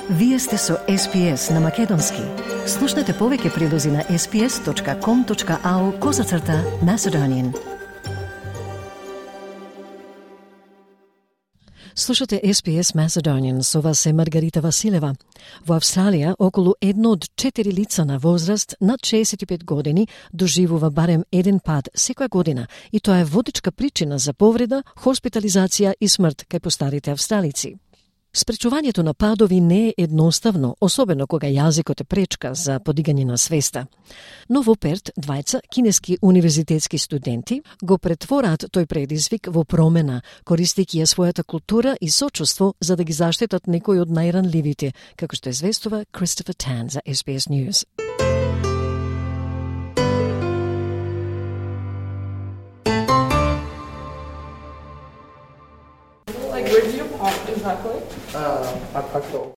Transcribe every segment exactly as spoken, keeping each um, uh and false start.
Вие сте со Ес Би Ес на Македонски. Слушнете повеќе прилози на ес би ес точка ком точка ау козацрта Macedonian. Слушате Ес Би Ес Macedonian, со вас е Маргарита Василева. Во Австралија, околу едно од четири лица на возраст над шеесет и пет години доживува барем еден пад секоја година, и тоа е водечка причина за повреда, хоспитализација и смрт кај постарите австралици. Спречувањето на падови не е едноставно, особено кога јазикот е пречка за подигање на свеста. Но во Перт, двајца кинески универзитетски студенти го претвораат тој предизвик во промена, користејќи ја својата култура и сочувство за да ги заштитат некои од најранливите, како што известува Кристофер Тан за Ес Би Ес News.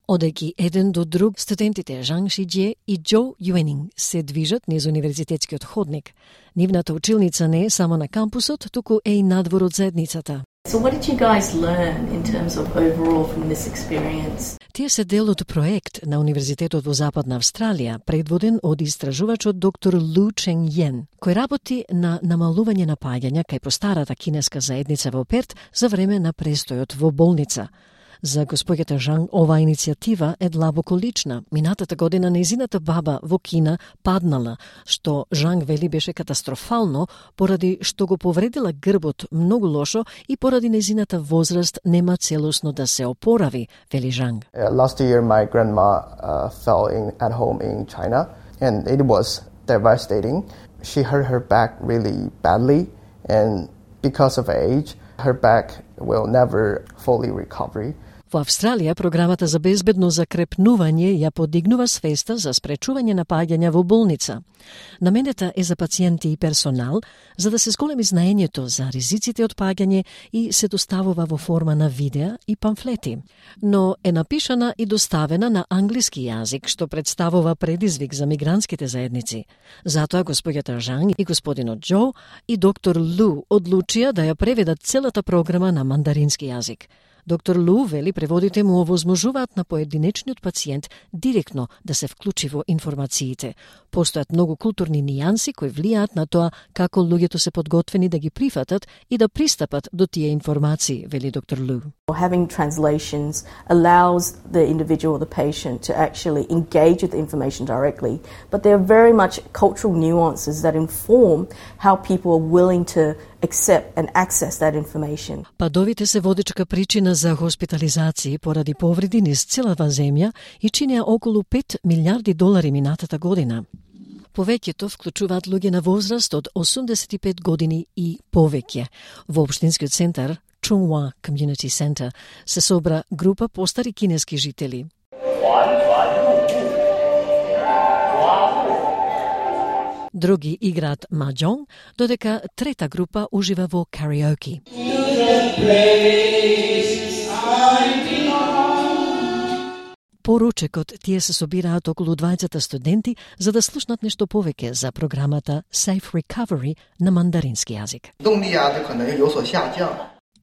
Одејќи еден до друг, студентите Жанг Шиџе и Џо Јуенинг се движат низ универзитетскиот ходник. Нивната училница не е само на кампусот, туку е и надвор од заедницата. So what did you guys learn in terms of overall from this experience? Тие се дел од проект на Универзитетот во Западна Австралија, предводен од истражувачот доктор Лу Чен Йен, кој работи на намалување на паѓања кај постарата кинеска заедница во Перт за време на престојот во болница. За господјата Жанг, оваа иницијатива е длабоко лична. Минатата година нејзината баба во Кина паднала, што Жанг вели беше катастрофално, поради што го повредила грбот многу лошо и поради нејзината возраст нема целосно да се опорави, вели Жанг. Uh, last year my grandma uh, fell in at home in China and it was devastating. She hurt her back really badly and because of age her back will never fully recover. Во Австралија, програмата за безбедно закрепнување ја подигнува свеста за спречување на паѓања во болница. Наменета е за пациенти и персонал, за да се зголеми знаењето за ризиците од паѓање и се доставува во форма на видеа и памфлети. Но е напишана и доставена на англиски јазик, што представува предизвик за мигрантските заедници. Затоа господјата Жанг и господинот Џо и доктор Лу одлучија да ја преведат целата програма на мандарински јазик. Доктор Лу вели преводите му овозможуваат на поединечниот пациент директно да се вклучи во информациите. Постојат многу културни нијанси кои влијаат на тоа како луѓето се подготвени да ги прифатат и да пристапат до тие информации, вели доктор Лу. Having translations allows the individual or the patient to actually engage with the information directly, but there are very much cultural nuances that inform how people are willing to accept and access that information. Падовите се водечка причина за хоспитализации поради повреди низ целава земја и чинеа околу пет милиарди долари минатата година. Повеќето вклучуваат луѓе на возраст од осумдесет и пет години и повеќе. Во општинскиот центар Chung Hua Community Center се собра група постари кинески жители. Други играат маџонг, додека трета група ужива во кариоки. По ручекот тие се собираат околу двајцата студенти за да слушнат нешто повеќе за програмата Safe Recovery на мандарински јазик.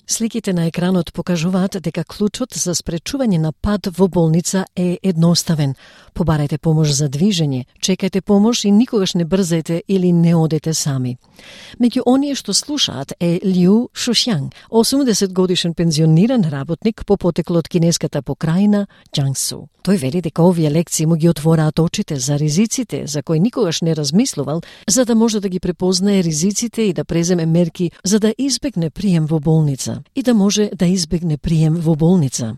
Сликите на екранот покажуваат дека клучот за спречување на пад во болница е едноставен. Побарајте помош за движење, чекајте помош и никогаш не брзајте или не одете сами. Меѓу оние што слушаат е Лиу Шушјанг, осумдесет годишен пензиониран работник по потекло од кинеската покрајна Џангсу. Тој вели дека овие лекции му ги отвораат очите за ризиците за кои никогаш не размислувал, за да може да ги препознае ризиците и да преземе мерки за да избегне прием во болница и да може да избегне прием во болница.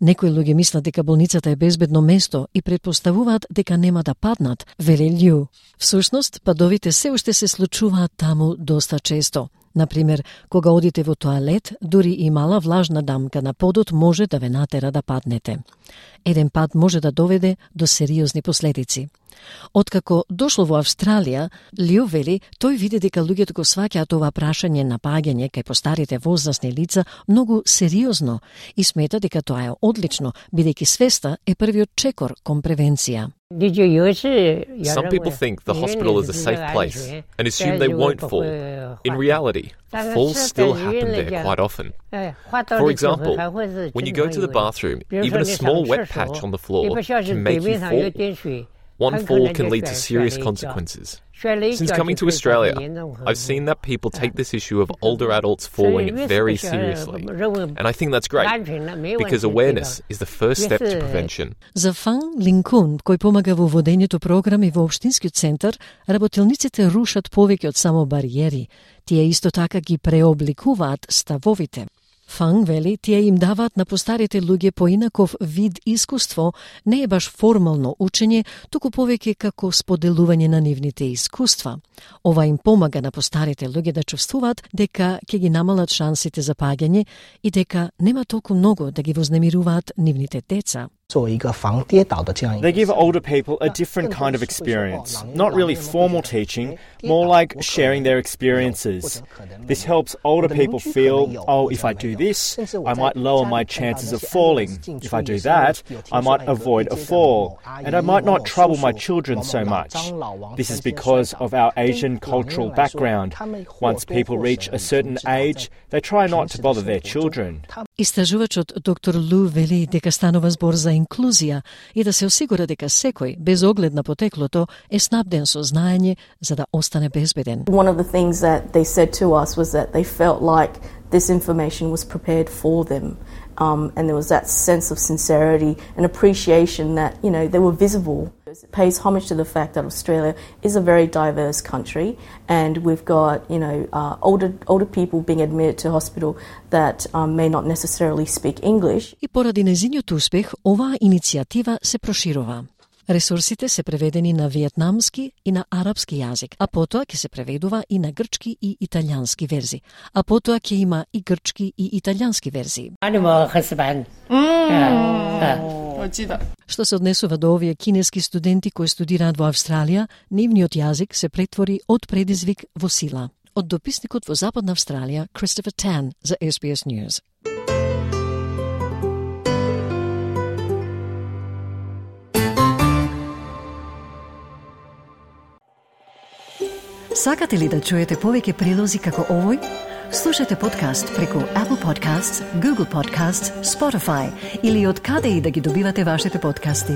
Некои луѓе мислат дека болницата е безбедно место и предпоставуваат дека нема да паднат, вели Лју. Всушност, падовите се уште се случуваат таму доста често. Например, кога одите во тоалет, дури и мала влажна дамка на подот може да ве натера да паднете. Еден пад може да доведе до сериозни последици. Откако дошло во Австралија, Лио вели, тој види дека луѓето го сваќаат ова прашање на паѓање кај постарите возрастни лица многу сериозно и смета дека тоа е одлично, бидејќи свеста е првиот чекор кон превенција. Some people think the hospital is a safe place and assume they won't fall. In reality, falls still happen there quite often. For example, when you go to the bathroom, even a small small wet patch on the floor can make you fall. One fall can lead to serious consequences. Since coming to Australia, I've seen that people take this issue of older adults falling very seriously. And I think that's great, because awareness is the first step to prevention. За Фан Линкун, кој помага во водењето програми во Општинскиот центар, работелниците рушат повеќе од само бариери. Тие исто така ги преобликуваат ставовите. Фан вели, тие им даваат на постарите луѓе поинаков вид искуство, не е баш формално учење, туку повеќе како споделување на нивните искуства. Ова им помага на постарите луѓе да чувствуваат дека ќе ги намалат шансите за паѓање и дека нема толку многу да ги вознемируваат нивните деца. They give older people a different kind of experience, not really formal teaching, more like sharing their experiences. This helps older people feel, oh, if I do this, I might lower my chances of falling. If I do that, I might avoid a fall, and I might not trouble my children so much. This is because of our Asian cultural background. Once people reach a certain age, they try not to bother their children. Истражувачот доктор Лу вели дека станува збор за инклузија и да се осигура дека секој, без оглед на потеклото, е снабден со знаење за да остане безбеден. One of the things that they said to us was that they felt like this information was prepared for them. Um, and there was that sense of sincerity and appreciation that, you know, they were visible. It pays homage to the fact that Australia is a very diverse country, and we've got, you know, uh, older older people being admitted to hospital that um, may not necessarily speak English. И поради незиниот успех, оваа иницијатива се проширува. Ресурсите се преведени на виетнамски и на арапски јазик, а потоа ќе се преведува и на грчки и италијански верзии. А потоа ќе има и грчки и италијански верзии. Што се однесува до овие кинески студенти кои студираат во Австралија, нивниот јазик се претвори од предизвик во сила. Од дописникот во Западна Австралија, Christopher Tan за S B S News. Сакате ли да чуете повеќе прилози како овој? Слушате подкаст преку Apple Podcasts, Google Podcasts, Spotify или од каде и да ги добивате вашите подкасти.